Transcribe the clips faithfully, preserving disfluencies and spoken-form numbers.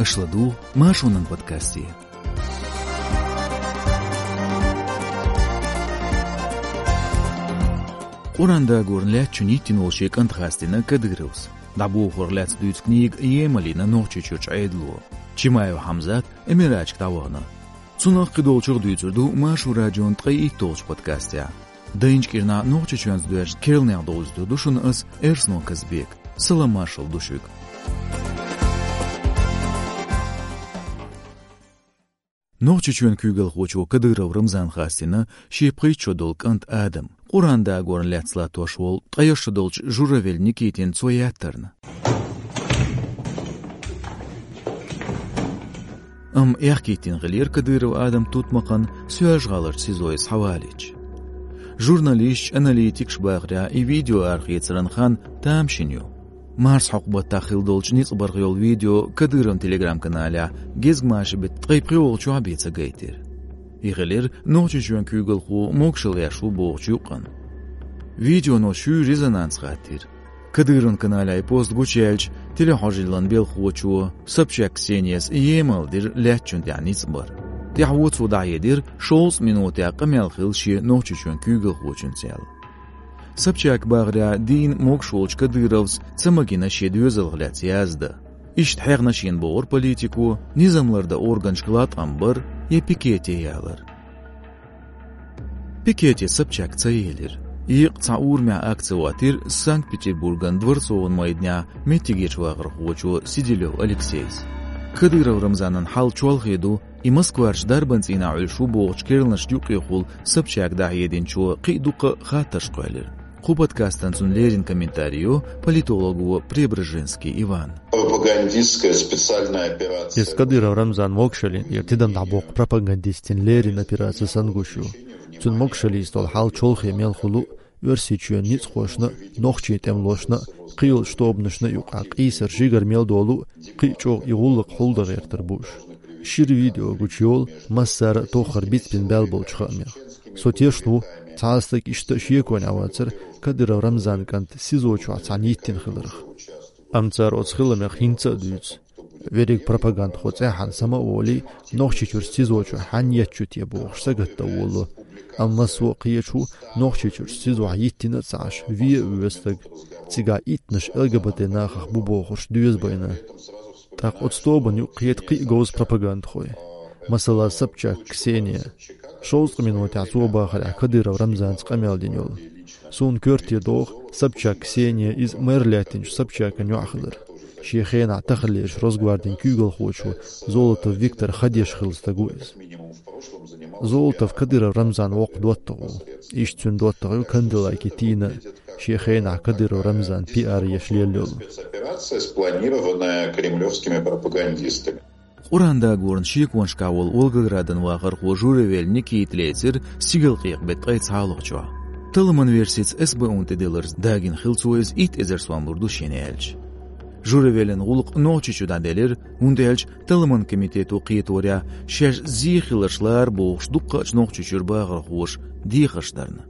Аша ладугӀу Маршонан подкасте. Къуръан дагорна лаьттачун йиттина волу шен кӀант хастийна Кадыровс. ДӀабохорх лаьцна дуьйцу книга емал йина Нохчийчуьрчу Ӏедало. Чимаев Хьамзат Эмирачка дӀавахана. Цунах а, кхидолчух а дуьйцур ду Маршо радион ткъе итталгӀачу подкастехь. Дайначу кӀирнахь Нохчийчоьнца доьзна керланех довзуьйтур ду шуна ас, Эрсно Казбек. Салам-маршалла ду шуьга. Нохчийчоьнан куьйгалхочо Кадыров Рамзана хастийна шен пхийтта шо долу кӀант Адам. Къуръан дагорна лаьцна латтош волу ткъе шо шо долчу Журавель Никитина цо яьттарна. Амма аьхкийтина хиллера Кадыров Адам тутмакхан Соьлжа-ГӀаларчу СИЗО-йи схьавалийча. Журналисташ, аналитикаш бахарехь, и видео арахецаран хан тамашийна ю. Марсхьокху баттахь хилла долчу ницкъ барх йолу видео Кадыровн телеграм-каналехь гезгмашин беттан ткъе пхоьалгӀачохь бен ца гайтира. И хилира Нохчийчоьнан куьйгалхо могушалла еш ву бохучу юкъана. Видеоно шуьйра резонанс хаттийра. Кадыровн каналехь и пост гучуяьлча, телехьожаллин белхахочо Собчак Ксенияс емал дира лаьттачунна тӀехь ницкъ бар. ТӀаьхьо цо дӀахьедира, шовзткъа минотехь къамел хилла шен Нохчийчоьнан куьйгалхочуьнца аьлла. Собчак бахарехь, дийна могуш волчу Кадыровс ца магийна шен доьзалх лаьцна яздан. Иштта хьехна шена бохура политико, низам лардан органашка латкъам бар я пикете ялар. Пикете Собчак ца елира. Екъа цхьа урамехь акци хӀоттийра Санкт-Петербурган Дворцован майданехь меттигерчу вахархочо Сиделёв Алексейс. Кадыров Рамзанан хьал чолхе ду, и Москварчу дарбан цӀийнахь Ӏуьллуш ву бохучу керланашна юкъахула Собчака дӀахьединчо кхин а дуккха а хаттарш кхоьллира. Кху подкастана цунна леррина комментарий йо политолого Преображенский Ивана. Пропагандистская специальная операция. Иза Кадыров Рамзан могушаллин тӀера тидам дӀабоккху пропагандистийн леррина операци санна гуш ю. Цуьнан могушаллица долу хьал чолхе мел хуьлу, Оьрсийчоьнан ницкъахошна, нохчийн тӀемалошна, кхийолчу тобанашна юкъахь къийсар, жигара мел долу, кхин а чӀогӀа и гӀуллакх хьулдан гӀертар бу уьш. Шира видео гучуйолу массара а тоххара бицбина баьлла болчу хаамех. Со тешна ву, цхьа а стаг иштта а шеконе Ӏа вацара Кадыров Рамзанан кӀант СИЗО чохь цхьаьна йиттина хиларх. Амма цара оцу хиламех хӀинца а дуьйцу. Верриг пропагандахо цӀеххьана сама а волий, Нохчийчуьра СИЗО чу хьанна етташ ю те бохуш сагатдан волало. Амма массо а кхеташ ву, Нохчийчуьра СИЗО-хь йиттина а ца Ӏаш, вен а воьду стаг, цигахь иттаннаш ЛГБТ нахах бу бохуш доьза байна. ТӀаккха оцу тобанна юкъахь кхета кхин а говза пропагандахой. Масала, Собчак Ксения. Шовзткъа минотехь цо бахарехь Кадыров Рамзанца къамел дина йолу. Суна коьрте догӀу, Собчак Ксения иза мэр лаьттинчу Собчакан йоӀ хилар. Шен хенахь таханлерчу Росгвардин куьйгалхочо Золотов Виктор ха деш хилла стаг ву иза. Золотов Кадыров Рамзанан воккха доттагӀа ву. Иштта цуьнан доттагӀа ю Канделаки Тина, шен хенахь Кадыров Рамзанан пиар еш лелла йолу. Спецоперация, спланированная кремлевскими пропагандистами. Къуръан дагорна шеконашкахь волу Волгоградан вахархо Журавель Никита лецира стигалкъекъа беттан ткъе цхьалгӀачохь. Талламан версица СБУ-н тӀедилларца дагийна хилла цо иза итт эзар сом лур ду шена аьлча. Журавелан гӀуллакх Нохчийчу дӀаделира, хӀунда аьлча Талламан комитето кхеторехь шаьш зен хиларш лара бохуш дуккхачу Нохчийчуьра бахархоша дехарш дарна.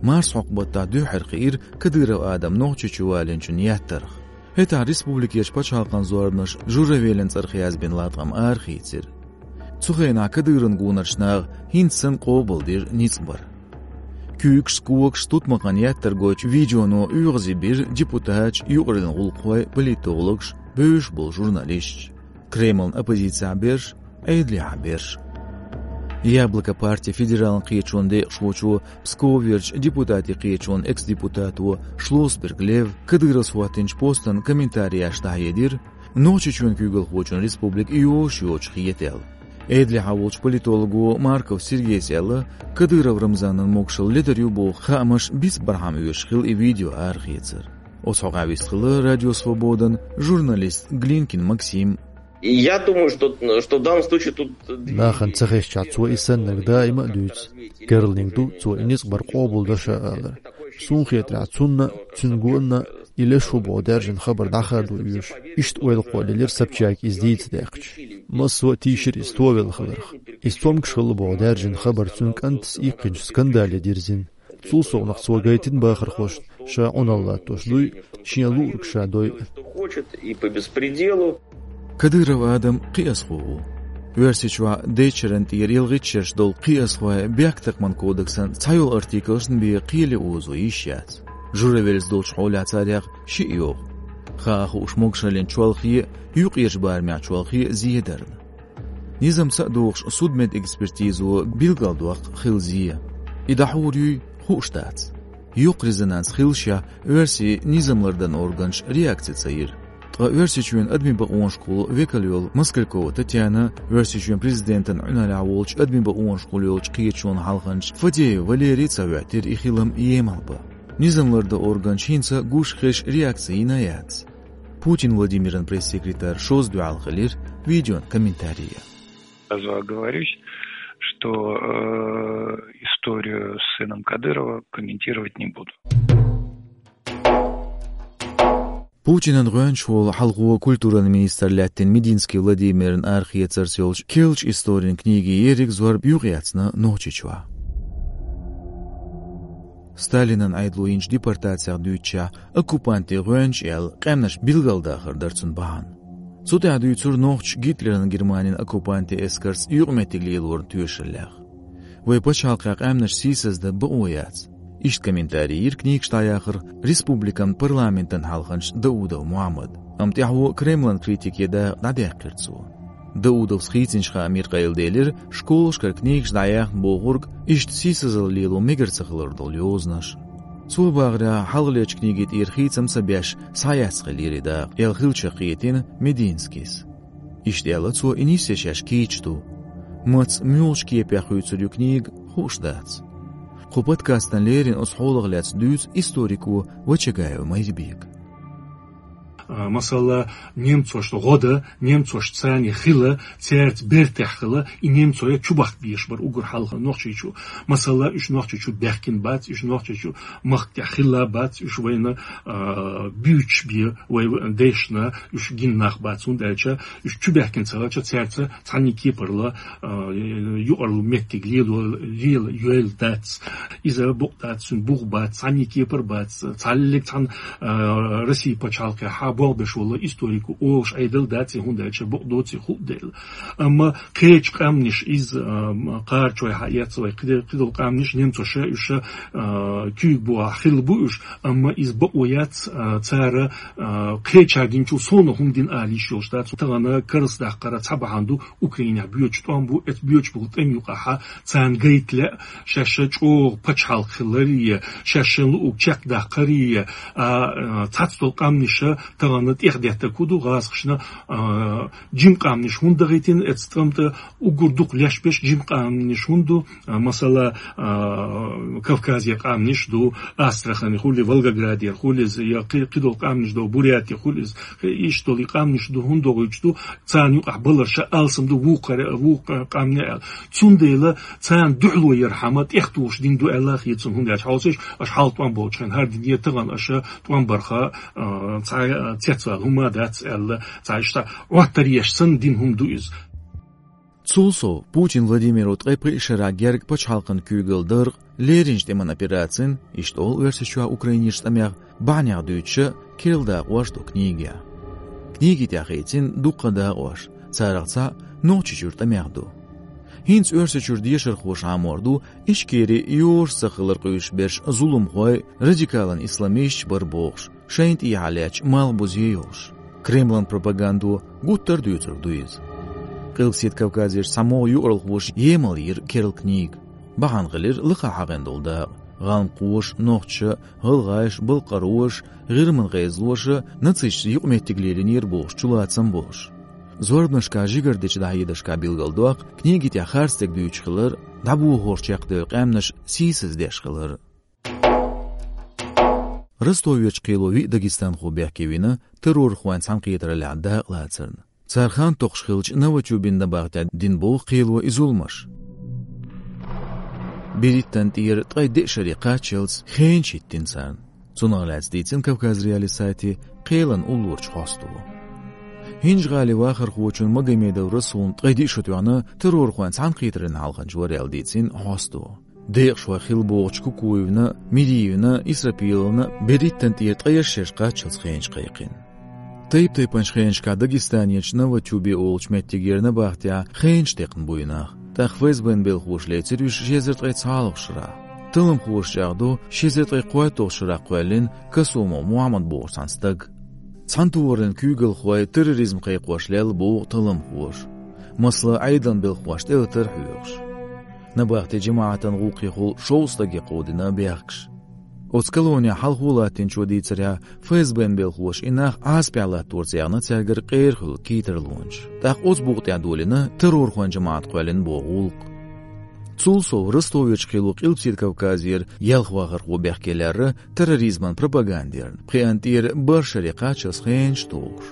Марсхьокху баттахь дуьххьара хиира Кадыров Адам Нохчийчу валийначунна яьттарх. ХӀетахь республикерчу пачхьалкхан зорбанаша Журавелан цӀарах язбина латкъам арахийцира. Цу хенахь Кадыровн гонарчу наха хӀинца санна къобалдира ницкъ бар. Куьйгаш, когаш, тутмакхан яьттар гойтучу видеоно оьгӀазе бира депутаташ, юкъараллин гӀуллакххой, политологаш, бевзаш болу журналисташ. Кремлан оппозицехь берш, Ӏедалехь берш. «Яблоко» партин федералан кхеташонан декъашхочо, Псковерчу депутатийн кхеташонан экс-депутато Шлосберг Лев Кадыровс хӀоттийначу постан комментареш дӀахьедира, Нохчийчоьнан куьйгалхочун республика йозуш йоцуш хета аьлла. Ӏедалехь волчу политолого Марков Сергейс аьлла, Кадыров Рамзанан могушалла ледар ю боху хаамаш бицбархьама оьшуш хилла и видео арахецар. Оцу хьокъехь вистхилла Радио Свободан журналист Глинкин Максим. И я думаю, что, что в данном случае тут... Нахана ца хезчахь, цо и саннарг даима а дуьйцу. Керланиг ду, цо и ницкъ бар къобалдо ша алар. Суна хетарехь, цунна, цуьнан гонна и леш ву боху даьржина хабар дӀахадо оьшу. Иштта ойла кхоллаелира Собчака иза дийца даьккхича. Массо а тийшира иза товелла хиларх. Иза цомгуш хилла боху даьржина хабар цуьнан кӀантас иккхинчу скандале дирзина. Цул совнаха цо гайтина бахархошна ша Ӏуналла латтош дуй, шен луург ша дой. Что хочет и по беспределу. Кадыров Адам кхиазхо ву. Оьрсийчохь дечеран тӀера ялхитта шераш долу кхиазхой бехктакхаман кодексан цхьайолу артиклашна бен кхеле озо йиш яц. Журавеллаца долчу хьолехь царех шиъ йогӀу. Хаа хууш могушаллин чолхе а, юкъерчу барамехь чолхе а зедарна. Низамца а догӀуш, судмедэкспертизо билгалдоккху хилла зе. И дӀахьур юй, хууш дац. Йоккха резонанс хиллашехь, оьрсийн низам лардан органаш реакци ца йира. Ткъа Оьрсийчоьнан адамийн бакъонашкахула векал йолу Москалькова Татьяна, Оьрсийчоьнан президентан Ӏуьналлехь волчу адамийн бакъонашкахула йолчу кхеташонан хьалханча Фадеев Валерий ца хӀоьттира и хилам емал бан. Низам лардан органаш хӀинца гуш хезаш реакци йина яц. Путин Владимиран пресс-секретарь шозза дуьхьал хилира видеон комментарий. Сразу оговорюсь, что э, историю с сыном Кадырова комментировать не буду. Путинан гӀоьнча волу хьалхо культуран министр лаьттина Мединский Владимиран арахецарца йолчу керлачу историн книги ерриг зорба юкъаяцна Нохчийчохь. Сталинан Ӏедало йинчу депортацех дуьйцучехь, оккупантийн гӀоьнча аьлла, къаьмнаш билгалдахар дара цунна бахьана. Цу тӀехь дуьйцура нохчаша Гитлеран Германин оккупантийн эскарца юкъаметтиг лелорна тоьшаллех. Вайн пачхьалкхехь къаьмнаш сийсаздан бакъо яц. Иштта комментарий йира книгаш дӀаяхарх республикан парламентан хьалханча Даудов Мухьаммада. Амма тӀаьхьо Кремлан критике дакъа дӀадаьккхира цо. Даудовс хийцинчу хаамийн къайладелира школашкара книгаш дӀаяьхна бохург, иштта сийсазалла лело мегар ца хилар долу йозанаш. Цо бахарехь, хьалхалерчу книгин тӀера хийцам ца беш, схьаяц хиллера и дакъа, аьлла хиллачух кхетийна Мединскийс. Иштта аьлла цо, и нисъеш шаьш кийча ду. Маца, муьлхачу кепехь хуьйцур ю книга, хууш дац. Кху подкастана леррина оцу хьолах лаьцна дуьйцу историко Вачагаев Майрбека. А, масала, немцошна гӀо дан, немцош царна хила, цаьрца бертехь хила, и немцой чубахка безаш бара уггар хьалха Нохчийчу. Масала, уьш Нохчийчу баьхкина бац, уьш Нохчийчу махка тӀехь хилла бац, уьш вайна, а, буьйцуш бен вай дайшна, уьш гина нах бац, хӀунда аьлча уьш чубаьхкина ца хилча, цаьрца цхьаьннан кепара а, юкъаралла меттиг лела, лела йойла дац. Иза бакъ дац, цуьнан бух бац, цхьаьннан кепара бац, цхьаллиг цхьана, а, Россин пачхьалкхехь болх беш волу историк ву олуш Ӏедал дац, хӀунда аьлча бакъ доций хуу дела. Амма кхечу къаьмнаш иза, а, кхарачой хьаэца вай кхиде-, кхидолу къаьмнаш немцоша уьш, а, куьйга бухахь хилла бу уьш, амма иза бакъо яц, а, цара, а, кхечара гинчул совнаха хӀума дина ала йиш йолуш дац. Тахана карладаккхаран цхьа бахьана ду, Украинехь боьдуш тӀом бу, эцу боьдуш болу тӀеман юкъахь царна гайта лаьа, шаьш чӀогӀа пачхьалкх хиларе, шаьшшинна луург чекхдаккхаре, а, а, цхьацдолу къаьмнаша тахана тӀехдеттарг хӀун ду гӀазкхашна, а, жима къаьмнаш хӀунда дахийтина эцу тӀамна тӀе, уггар дукха леш беш жима къаьмнаш хӀунда ду, а, масала, а, Кавказе къаьмнаш ду, Астрахане хуьлий, Волгоградера хуьлий иза, я кхи-, кхидолу къаьмнаш ду, Буряте хуьлий иза, иштта долу и къаьмнаш ду, хӀунда дохуьйтуш ду, царна юкъахь баларша алсам ду вукхара-, вукху къаьмнийн аьлла. Цундела царна дуьхьало ярхьама тӀехтухуш дина ду аьлла хета суна, хӀунда аьлча хьовсийша, аша хьалха тӀом болчу хенахь хӀара дина тахана аша тӀом барха, а, цхьа, а, цецвала хӀума дац аьлла, цхьа иштта Ӏоттар еш санна дина хӀума ду иза. Цул сов, Путин Владимиро ткъе пхи шарахь герга пачхьалкхан куьйгалла дарх, лерринчу тӀеман операцин, иштта олу Оьрсийчохь Украинерчу тӀамех, бахьанех дуьйцуша керла дакъош ду книгехь. Книги тӀехь хийцина дуккха дакъош, царах цхьаъ Нохчийчуьра тӀамех ду. ХӀинца Оьрсийчуьра дешархоша Ӏамор ду, Ичкери йозуш ца хилар къуьйсуш берш зуламхой, радикалан исламисташ бара бохуш, шайна тӀехьа лаьтташ малхбузе йолуш. Кремлан пропагандо гуттар а дуьйцург ду иза. Къилбаседа Кавказерчу цхьамогӀа юкъаралхоша емал йира керла книга. Бахьана хилира лакхахь хьахийна долу дакъа. ГӀалмакхоша, нохчаша, гӀалгӀаша, балкхароша, гӀирман гӀезалоша нацисташца юкъаметтиг лелийнера бохуш чулацам болуш. Зорбанашкахь, жигардича дӀахьедаршкахь билгалдоккху, книги тӀехь харцдерг дуьйцуш хилар, дӀабохорш чекхдевлла къаьмнаш сийсаздеш хилар. Ростоверчу кхело виъ дагестанхо бехке вина террорхойн цхьаьнакхетараллехь дакъалацарна. Цара хан токхуш хиллачу Новотюбино набахтехь дина боху кхело и зуламаш. Берриттан тӀера ткъе деа шаре кхаччалц хенаш хӀиттина царна. Цунах лаьцна дийцина Кавказ.Реалии сайте кхелан уллорчу хьосто. ХӀинжа-ГӀалин вахархочун Магомедов Расулна ткъе диъ шо тоьхна террорхойн цхьаьнакхетаран хьалханча вара аьлла дийцина хьосто. Декъашхой хилла бохучу Кукуевна, Медиевна, Исрапиловна берриттан тӀера ткъе шаре кхаччалц хенаш кхайкхина. Тайп-тайпанчу хенашкахь Дагестанерчу Новотюбе олучу меттигера набахтехь хенаш текхна буй нах. ТӀаккха ФСБ-н белхоша лецира уьш ши эзар ткъе цхьалгӀачу шарахь. Талламхоша чӀагӀдо, ши эзар ткъе кхойтталгӀачу шарахь кхоьллина Касумов Мухьаммад бохучу цхьана стага. Цхьана тохараллин куьйгалхой терроризм кхайкхош лелла боху талламхоша. Масала, Ӏедалан белхоша тӀелатар хьоьхуш. Набахтин жамаӀатан гӀуллакхехула шовзткъа стаге кховдийна бехкаш. Оцу колонехь хьалхо латтийначо дийцарехь, ФСБ-н белхоша и нах Ӏазапехь латторца яьхна цаьргара къера хуьлу кхетарлонаш. ТӀаккха оцу букъа тӀехь долийна террорхойн жамаӀат кхоьллина боху гӀуллакх. Цул сов Ростоверчу кхело Къилбаседа Кавказера ялх вахархо бехке лаьрра терроризман пропагандерна, пхеана тӀера бархӀ шаре кхаччалц хенаш а тухуш.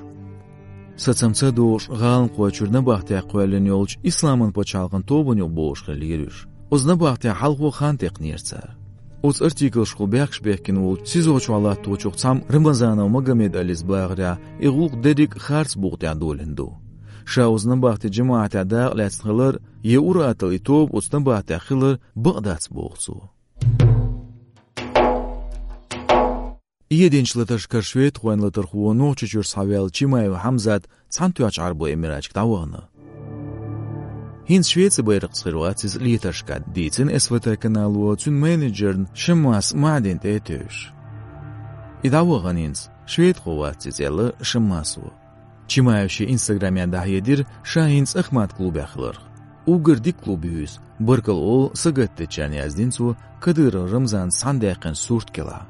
Сацам ца догӀуш, гӀаланхой чуьра набахтехь кхоьллина йолчу Исламан пачхьалкхан тобанна юкъа богӀуш хиллера уьш. Оцу набахтехь хьалхо хан текхнера цара. Оцу артиклашкахула бехкаш бехкина волчу СИЗО чохь латточух цхьамма Рамазанов Магомед-Алис бахарехь, и гӀуллакх дерриг а харц букъа тӀехь долийна ду. Ша оцу набахтин жамаӀатехь дакъа лаьцна хилар, я ур-атталла и тоба оцу набахтехь хилар бакъ дац, боху цо. Эдинчу латаршкара шведхойн латархо, Нохчийчуьра схьаваьлла Чимаев Хьамзат Цхьаьнатоьхначу Ӏарбойн Эмираташка дӀавахана. ХӀинца Швецин байракхца хир вац иза летаршкахь, дийцина СВТ канало цуьнан менеджерна Шаммас Маьдина тӀе а тевжаш. И дӀавахана хӀинца, шведхо вац иза, аьлла Шаммасо. Чимаевс шен инстаграмехь дӀахьедира ша хӀинца Ахмат клубехь хиларх. Уггар дика клуб ю иза, баркалла олу сагатдечарна, яздина цо Кадыров Рамзанца цхьаьна даьккхина сурт кӀелахь.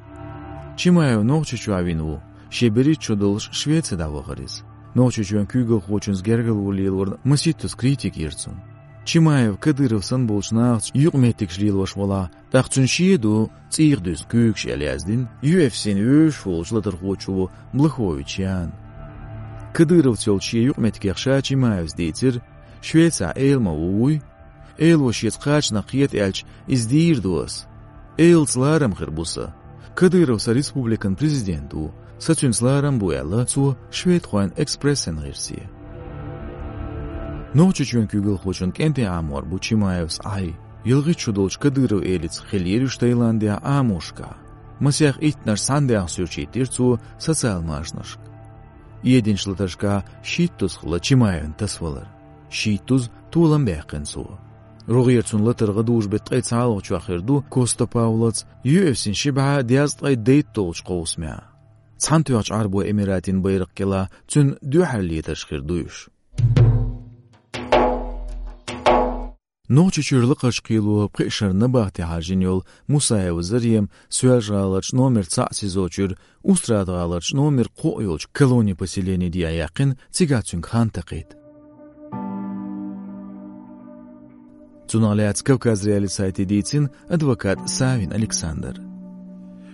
Чимаев Нохчийчохь вина ву, шен берхӀитта шо долуш Швеце дӀавахара иза. Нохчийчоьнан куьйгалхочуьнца гергарло лелорна масийттаза критика йира цунна. Чимаев Кадыров санна болчу нахаца юкъаметтигаш лелош велахь, тӀаккха цуьнан шен ду цӀийх дуьзна куьйгаш, аьлла яздина ю эф си-н вевзаш волчу латархочо Блахович Яна. Кадыровца йолчу шен юкъаметтигех ша Чимаевс дийцира, Швецехь эла ма ву, вуй. Эло шеца кхачанах кхета аьлча, иза дийр ду ас. Элаца ларам хир бу сан. Кадыров сан республикан президент ву, сан цуьнца ларам бу, аьлла цо Шведхойн Экспрессен гӀирсе. Нохчийчоьнан куьйгалхочун кӀентий Ӏамор бу Чимаевс Ӏай. ЯлхиттӀа шо долчу Кадыров элица хиллера уьш Таиландехь Ӏамошкахь. Масех иттаннаш цхьаьна даьхна суьрчийтира цо социал машанашка. Эдинчу латаршкахь шийттаза хилла Чимаевн тасавалар. Шийттаза толам баьккхина цо. РогӀера цунна латар гӀадужу беттан ткъе цхьалгӀачохь хир ду Коста Паулаца ю эф си-н ши бӀе дезткъе дейтталгӀачу кховсамехь. Цхьаьнатоьхначу Ӏарбойн Эмиратийн байракх кӀелахь цуьнан дуьххьара летарш хир ду уьш. Нохчийчуьра Лакхарчу кхело пхи шарна набахте хьажжина йолу Мусаева Зарема Соьлжа-ГӀаларчу номер цхьаъ СИЗО чуьра Устрада-ГӀаларчу номер кхоъ йолчу колони-поселенин дехьа яьккхина, цигахь цуьнга хан такхийта. Цунах лаьцна Кавказ.Реалии сайте дийцина адвокат Савин Александра.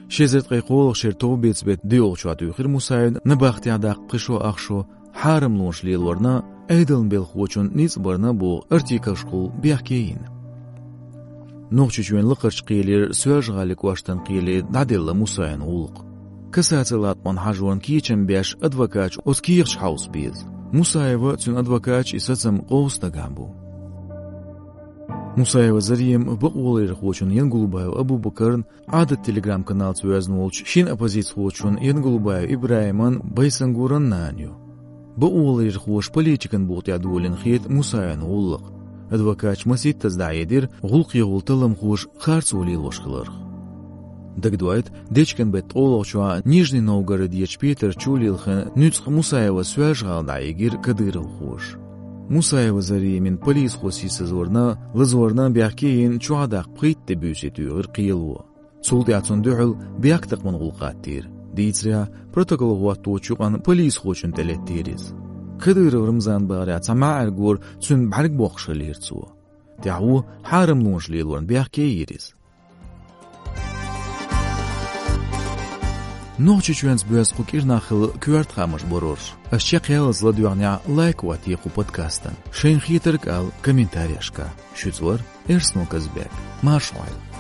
Ши эзар ткъе кхоалгӀачу шеран товбеца беттан доьалгӀачохь туьйхира Мусаевна набахтехь даккха пхи шо, ах шо, хьарамлонаш лелорна, Ӏедалан белхахочун ницкъ барна боху артиклашкахула бехке йина. Нохчийчоьнан Лакхарчу кхелера Соьлжа-ГӀалин кӀоштан кхеле дӀаделла Мусаевн гӀуллакх. Кассацин латкъонна хьажорна кечам беш адвокаташа оцу кехаташ хьовса беза. Мусаева а, цуьнан адвокаташа а и сацам къовса дагахь бу. Мусаева Зарема бакъоларъярхочун Янгулбаев Абубакарна, Ӏадат Telegram-каналца воьзна волчу шина оппозицихочун Янгулбаев ИбрахӀиман, Байсангуран нана ю. Бакъоларъярхоша политикан букъа тӀехь долийна хета Мусаевн гӀуллакх. Адвокаташа масийттаза дӀахьедира гӀуллакхехула талламхоша харцо лелош хиларх. Дагадоуьйту, дечкен беттан ткъолгӀачохь Нижний Новгородерчу Петар чу лилхина нуьцкъах Мусаева Соьлжа-ГӀала дӀайигира кадыровхоша. Мусаева Заремина полисхо сийсазварна, лазорна бехке йина чохь даккха пхийтта де буьйсий туьйхира кхело. Цул тӀаьхьа цунна дуьхьал бехктакхаман гӀуллакх хӀоттийра. Дийцарехь, протокол хӀотточу юкъана полисхочунна тӀелеттийра иза. Кадыров Рамзан бахарехь цхьа маьӀаргора цуьнан бӀаьрг боккхуш хиллера цо. ТӀаьхьо хьарамлонаш лелорна бехке йира иза. Нохчийчоьнца боьзна кху кӀирнаххалла коьрта хаамаш бара уьш. Ас чекхъяллалц ладоьгӀнехь, лайк хӀоттае кху подкастан. Шайна хетарг ала комментарийашкахь. Шуьца вара Эрсно Казбек. Марша Ӏойла.